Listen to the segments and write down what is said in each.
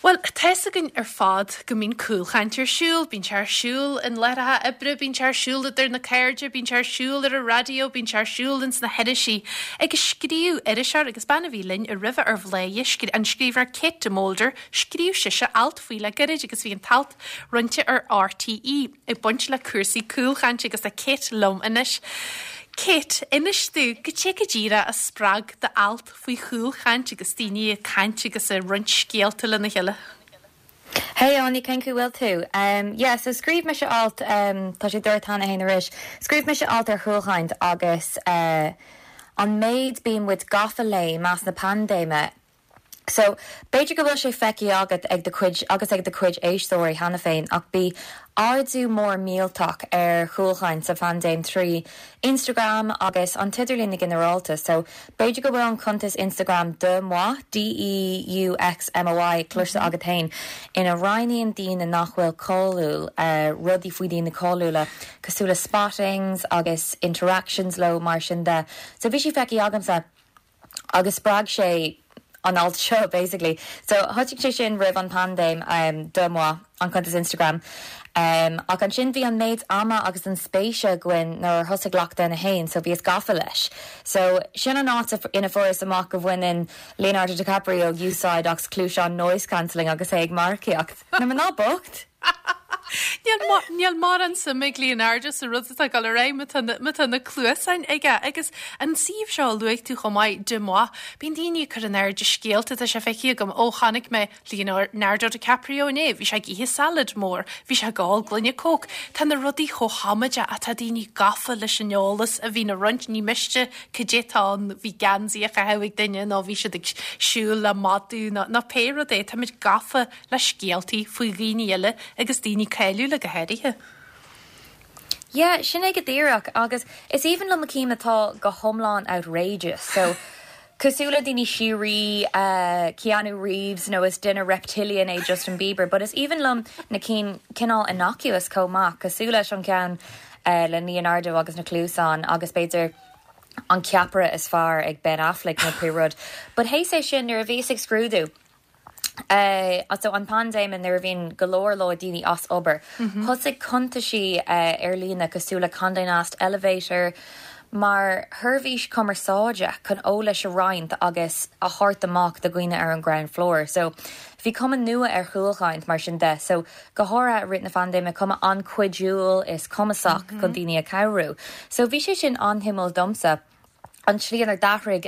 Bhuel, tá fhios againn ar fad go mbíonn cúlchaint ar siúl. Bíonn sé ar siúl in láithreacha oibre, bíonn sé ar siúl idir na cairde, bíonn sé ar siúl ar an raidió, bíonn sé ar siúl ins na hirisí. Agus scríobh iriseoir, agus bean a bhí linn roimhe ar Bhladhaire, an scríbhneoir Kate de Molder, scríobh sise alt faoi le gairid agus bhí an t-alt roinnte ar RTÉ ag baint le cúrsaí cúlchainte agus tá Kate liom anois. Kate, inis domh, goidé go díreach a spreag d'alt faoi chúlchaint agus daoine ag caint agus ag roinnt scéalta lena chéile. Hey Áine, cén chaoi bhfuil tú? Yeah, so scríobh mise alt, tá sé dúirt cheana féin arís, scríobh mise alt ar chúlchaint agus an méid bíonn muid gafa léi meas na paindéime. So, b'fhéidir go bhfuil sé feicthe agat ag do chuid agus ag do chuid éisteoirí cheana féin ach bhí ardú mór millteach ar chúlchaint sa phaindéim trí Instagram agus an t-idirlíon i ginearálta. So, b'fhéidir go bhfuil an cuntas Instagram DeuxMoi, D-E-U-X-M-O-I, cloiste agat féin, ina roinneann daoine nach bhfuil cáiliúil rudaí faoi daoine cáiliúla cosúil le spottings agus interactions leo mar sin de. So, bhí sé feicthe agamsa. agus spreag sé an alt seo basically. So thosaigh sé sin roimh an paindéim, DeuxMoi, an cuntas Instagram. Ach ansin bhí an méid ama agus an spéise againn nuair a thosaigh Lockdown 1 so bhíos gafa leis. So sin an áit ina fuaireas amach go bhaineann Leonardo DiCaprio úsáid as cluaiseáin noise cancelling agus é ag marcaíocht. Na mná bocht! Níl mórán suim ag Leonardo sa rud atá ag dul ar aghaidh má tá má tá na cluasáin aige. Agus an suíomh seo a luaigh tú chomh maith, DeuxMoi, bíonn daoine ag cur in airde scéalta, tá sé feicthe agam, ó chonaic mé Leonardo DiCaprio inné, bhí sé ag ithe salad mór, bhí sé ag ól gloine Coke. Tá na rudaí chomh hamaideach ach tá daoine gafa leis an eolas a bhíonn á roinnt, ní miste cad é atá ann, bhí geansaí á chaitheamh ag duine nó bhí siad ag siúl le madadh nó nó pé rud é, táimid gafa le scéaltaí faoi dhaoine eile agus daoine cáiliúla go háirithe. Yeah, sin é go díreach agus is aoibhinn liom na cinn atá go hiomlán outrageous. So, cosúil le daoine síoraí, Keanu Reeves nó is duine reptilian é Justin Bieber, but is aoibhinn liom na cinn cineál innocuous chomh maith, cosúil leis an ceann le Leonardo agus na cluasáin agus b'fhéidir an ceapaire is fearr ag Ben Affleck nó pé rud. But théis é sin nuair a bhíos ag scrúdú, So an paindéim nuair a bhíonn go leor leor daoine as obair, thosaigh cuntaisí ar líne cosúil le Condé Nast Elevator mar sheirbhís cumarsáide chun eolais a roinnt agus a thabhairt amach do dhaoine ar an ground floor. So bhí cuma nua ar chúlchaint mar sin de. So go háirithe i rith na phaindéime, cuma an-chuidiúil is cumasach chun daoine a chabhrú. So bhí sé sin an-shuimiúil domsa. an tslí inar d'athraigh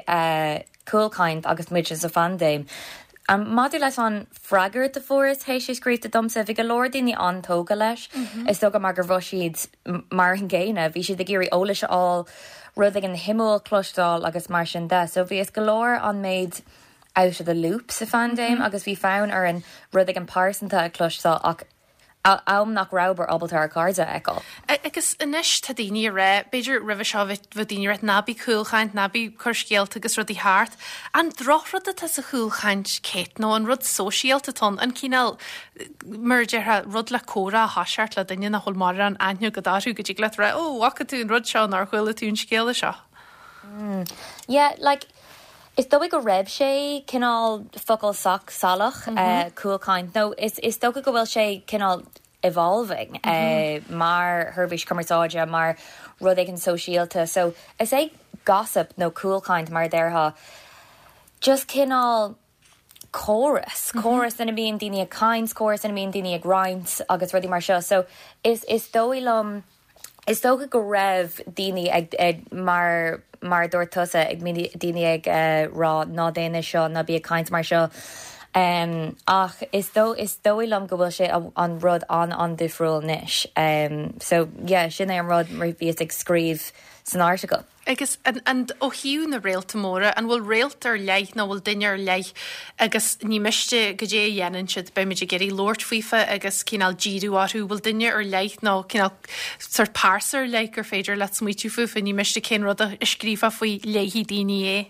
cúlchaint agus muid sa phaindéim. Maidir leis an freagairt a fuaireas théis é scríofa domsa, bhí go leor daoine an-tógtha leis. Is dócha mar go raibh siad mar an gcéanna, bhí siad ag iarraidh eolais a fháil, rud éigin shuimiúil a chloisteáil agus mar sin de. So bhíos go leor an méid out of the loop sa phaindéim agus bhí fonn orainn rud éigin pearsanta a chloisteáil ach am nach rabhamar ábalta ár gcairde a fheiceáil. Agus anois tá daoine ag rá, b'fhéidir roimhe seo bheadh daoine ag rá ná bí cúlchaint, ná bí cur scéalta agus rudaí thart. An drochrud atá sa chúlchaint, Kate, nó an rud sóisialta atá ann, an cineál, mar a déarfá, rud le comhrá a thoiseacht le duine nach bhfuil mórán aithne agat orthu, go dtig leat rá, ó, bhfaca tú an rud seo, nó ar chuala tú an scéala seo? Yeah, like, Is dóigh go raibh sé cineál focal sách salach, cúlchaint, nó is is dócha go bhfuil sé cineál evolving mar sheirbhís cumarsáide, mar rud éigin sóisialta. So is é gossip nó cúlchaint mar a déarfá just cineál córas, córas ina mbíonn daoine ag caint, córas ina mbíonn daoine ag roinnt agus rudaí mar seo. So is is dóigh liom Is dócha go raibh daoine ag, ag, mar, mar a dúirt tusa, ag, daoine ag rá ná déan é seo, ná bí ag caint mar seo. Ach is dó, is dóigh liom go bhfuil sé an rud an-an-difriúil anois. So yeah, sin é an rud mar bhíos ag scríobh san article. Agus an, an, ó thaobh na réalta móra, an bhfuil réalt ar leith nó bhfuil duine ar leith agus ní miste goidé a dhéanann siad, beimid ag iarraidh labhairt faofa agus cineál díriú orthu, bhfuil duine ar leith nó cineál sórt pearsa ar leith gur féidir leat smaoitiú fúfa, ní miste cén rud a scríofá faoi, léifidh daoine é.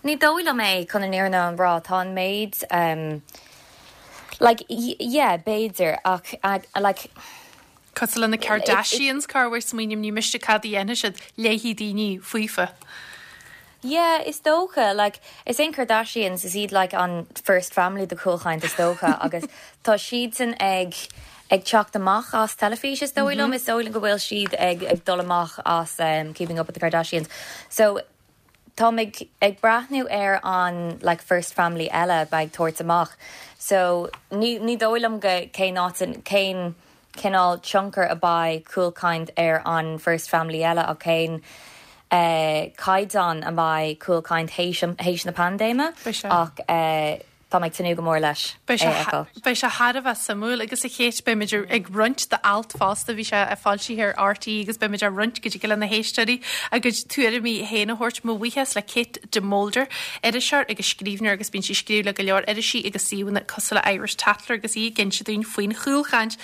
Ní dóigh liom é, chun an fhírinne a rá, tá an méid like, yeah, b'fhéidir ach like, Cosúil le na Kardashians, corruair smaoiním ní miste cad a dhéanfaidh siad, léifidh daoine faofa. Yeah, is dócha, like, is é an Kardashians, is iad like an first family de chúlchaint is dócha agus tá siadsan ag ag teacht amach as teilifís is dóigh liom, is dóigh liom go bhfuil siad ag ag dul amach as um, Keeping Up with the Kardashians. So táim ag ag breathnú ar an like first family eile a bheidh ag tabhairt amach. So ní ní dóigh liom go cén áit cén cineál tionchar a bheidh cúlchaint ar an first family eile ach cén caighdeán a mbeidh cúlchaint théis na paindéime ach tá mé ag tnúth go mór leis é a fheiceáil. Beidh sé thar a bheith suimiúil agus a Kate beimid ag roinnt d'alt fosta, bhí sé foilsithe ar RTÉ agus beimid á roinnt go dtig le na héisteoirí a gcuid tuairimí féin a thabhairt. Mo bhuíochas le Kate de Molder, iriseoir agus scríbhneoir agus bíonn sí ag scríobh le go leor irisí agus suíomhanna cosúil le Irish Tatler agus í ag inse dúinn faoin chúlchaint.